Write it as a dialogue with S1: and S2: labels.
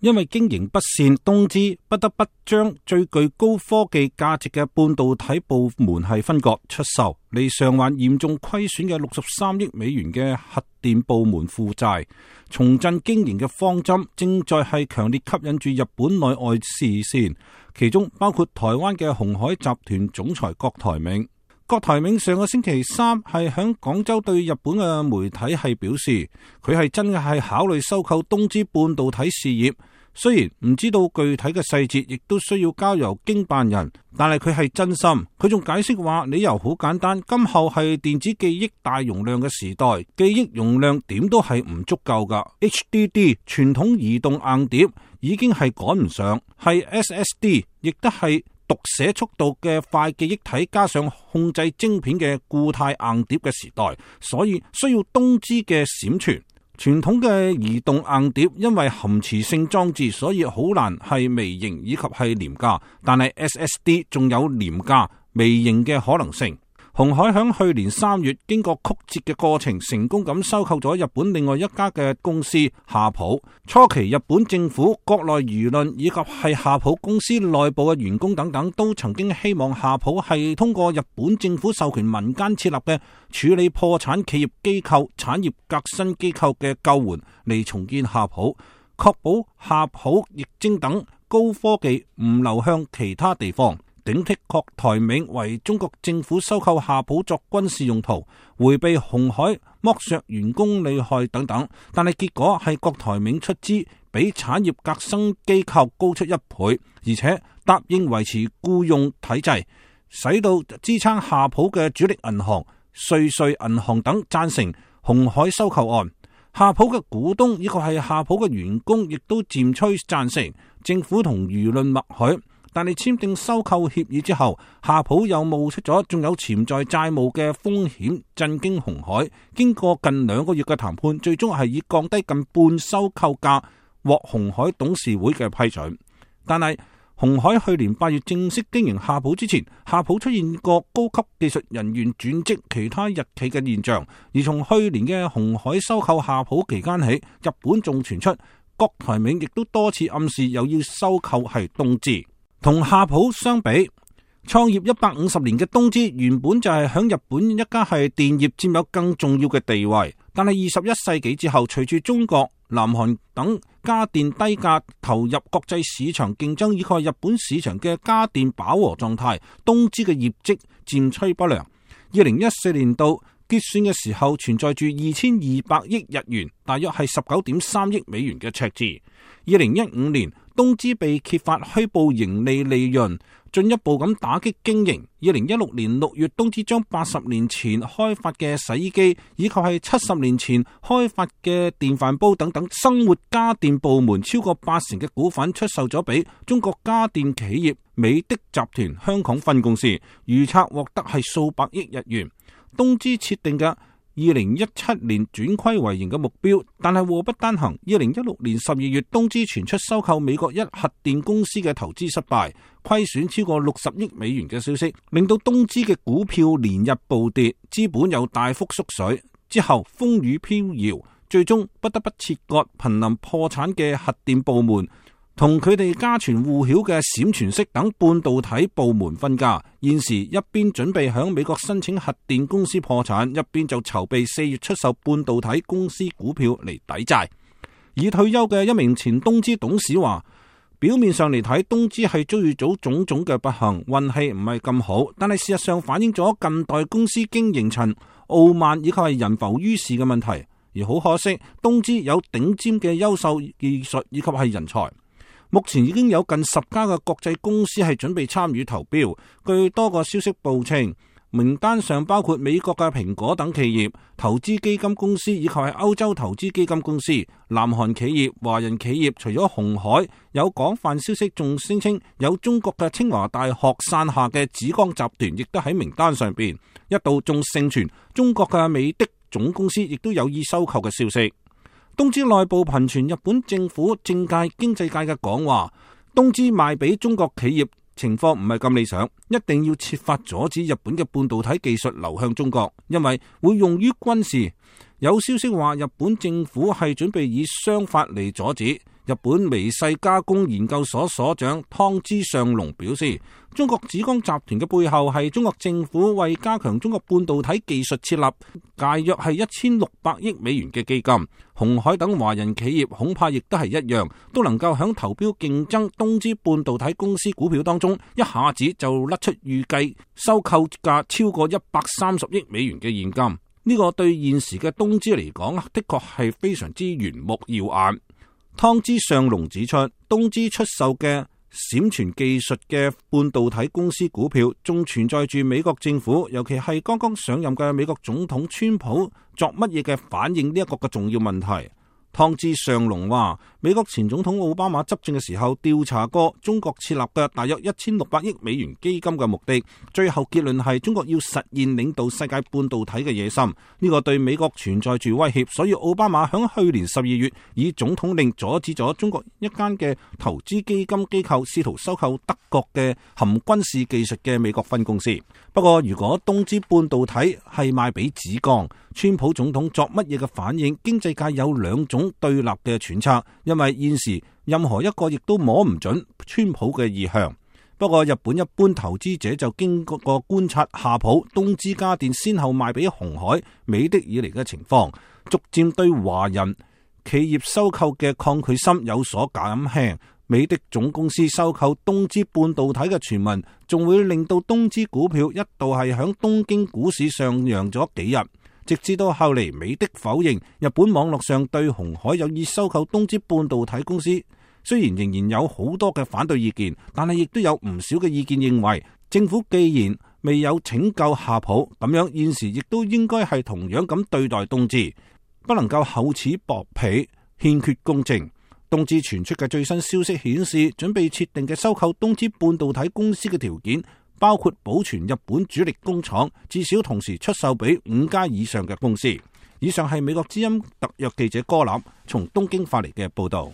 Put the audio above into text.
S1: 因為經營不善，東芝不得不將最具高科技價值嘅半導體部門係分割出售，嚟償還嚴重虧損嘅63億美元嘅核電部門負債。重振經營嘅方針正在係強烈吸引住日本內外視線，其中包括台灣嘅鴻海集團總裁郭台銘。郭台銘上個星期三係響廣州對日本嘅媒體係表示，佢係真係考慮收購東芝半導體事業。雖然唔知道具體嘅細節，亦都需要交由經辦人，但係佢係真心。佢仲解釋話，理由好簡單，今後係電子記憶大容量嘅時代，記憶容量點都係唔足夠噶。HDD 傳統移動硬碟已經係趕唔上，係 SSD 亦都係讀寫速度嘅快記憶體加上控制晶片嘅固態硬碟嘅時代，所以需要東芝嘅閃存。傳統嘅移動硬碟因為含磁性裝置，所以好難係微型以及係廉價，但係 SSD 仲有廉價微型嘅可能性。鴻海響去年3月經過曲折嘅過程，成功咁收購咗日本另外一家嘅公司夏普。初期日本政府、國內輿論以及係夏普公司內部嘅員工等等，都曾經希望夏普係通過日本政府授權民間設立嘅處理破產企業機構、產業革新機構嘅救援嚟重建夏普，確保夏普、液晶等高科技唔流向其他地方。頂替郭台銘為中國政府收購夏普作軍事用途，迴避鴻海剝削員工利害等等，但係結果係郭台銘出資比產業革新機構高出1倍，而且答應維持僱傭體制，使到支撐夏普嘅主力銀行瑞穗銀行等贊成鴻海收購案。夏普嘅股東以及係夏普嘅員工亦都漸趨贊成，政府同輿論默許。但係簽訂收購協議之後，夏普又冒出咗仲有潛在債務嘅風險，震驚鴻海。經過近2個月嘅談判，最終係以降低近半收購價獲鴻海董事會嘅批准。但係鴻海去年8月正式經營夏普之前，夏普出現過高級技術人員轉職其他日企嘅現象。而從去年嘅鴻海收購夏普期間起，日本仲傳出郭台銘亦都多次暗示又要收購係東芝。同夏普相比，創業150年嘅東芝原本就係響日本一家係電業佔有更重要嘅地位，但係21世紀之後，隨住中國、南韓等家電低價投入國際市場競爭，以及日本市場嘅家電飽和狀態，東芝嘅業績漸趨不良。2014年度結算嘅時候存在住2200億日元，大約係19.3億美元嘅赤字。2015年，東芝被揭發虛報盈利利潤，進一步咁打擊經營。2016年6月，東芝將80年前開發嘅洗衣機，以及係70年前開發嘅電飯煲等等生活家電部門超過80%嘅股份出售咗俾中國家電企業美的集團香港分公司，預測獲得係數百億日元。東芝設定嘅2017年轉虧為盈嘅目標，但係禍不單行。2016年12月，東芝傳出收購美國一核電公司嘅投資失敗，虧損超過60億美元嘅消息，令到東芝嘅股票連日暴跌，資本又大幅縮水。之後風雨飄搖，最終不得不切割瀕臨破產嘅核電部門，同佢哋家傳戶曉嘅閃存式等半導體部門分家。現時一邊準備響美國申請核電公司破產，一邊就籌備4月出售半導體公司股票嚟抵債。已退休嘅一名前東芝董事話，表面上嚟睇，東芝係遭遇咗種種嘅不幸，運氣唔係咁好，但係事實上反映咗近代公司經營層傲慢以及係人浮於事嘅問題。而好可惜，東芝有頂尖嘅優秀技術以及係人才。目前已經有近10家嘅國際公司係準備參與投標。據多個消息報稱，名單上包括美國嘅蘋果等企業、投資基金公司以及係歐洲投資基金公司、南韓企業、華人企業。除咗鴻海，有廣泛消息仲聲稱有中國嘅清華大學傘下嘅紫光集團亦都喺名單上邊。一度仲盛傳中國嘅美的總公司亦都有意收購嘅消息。東芝內部頻傳日本政府、政界、經濟界嘅講話，東芝賣俾中國企業情況唔係咁理想，一定要設法阻止日本嘅半導體技術流向中國，因為會用於軍事。有消息話日本政府係準備以商法嚟阻止，日本微細加工研究所所長湯之上隆表示，中國紫光集團嘅背後係中國政府為加強中國半導體技術設立大約係1600億美元嘅基金。鴻海等華人企業恐怕亦都係一樣，都能夠響投標競爭東芝半導體公司股票當中，一下子就甩出預計收購價超過130億美元嘅現金。呢個對現時嘅東芝嚟講，的確係非常之圓目耀眼。湯之上隆指出，東芝出售嘅閃存技術嘅半導體公司股票，仲存在住美國政府，尤其係剛剛上任嘅美國總統川普作乜嘢嘅反應呢一個嘅重要問題。湯之上隆話，美國前總統奧巴馬執政嘅時候調查過中國設立嘅大約1600億美元基金嘅目的，最後結論係中國要實現領導世界半導體嘅野心，呢個對美國存在住威脅，所以奧巴馬響去年12月以總統令阻止咗中國一間嘅投資基金機構試圖收購德國嘅含軍事技術嘅美國分公司。不過如果東芝半導體係賣俾紫光，川普總統作乜嘢嘅反應，經濟界有兩種對立嘅揣測，因為現時任何一個亦都摸唔準川普嘅意向。不過日本一般投資者就經過觀察夏普、東芝家電先後賣俾鴻海、美的以嚟嘅情況，逐漸對華人企業收購嘅抗拒心有所減輕。美的總公司收購東芝半導體嘅傳聞，仲會令到東芝股票一度係響東京股市上揚咗幾日，直至到後嚟美的否認日本網絡上對鴻海有意收購東芝半導體公司。雖然仍然有好多嘅反對意見，但係亦都有唔少嘅意見認為，政府既然未有拯救夏普，咁樣現時亦都應該係同樣咁對待東芝，不能夠厚此薄彼，欠缺公正。東芝傳出嘅最新消息顯示，準備設定嘅收購東芝半導體公司嘅條件，包括保存日本主力工廠，至少同時出售俾5家以上嘅公司。以上係美國之音特約記者柯立從東京發嚟嘅報道。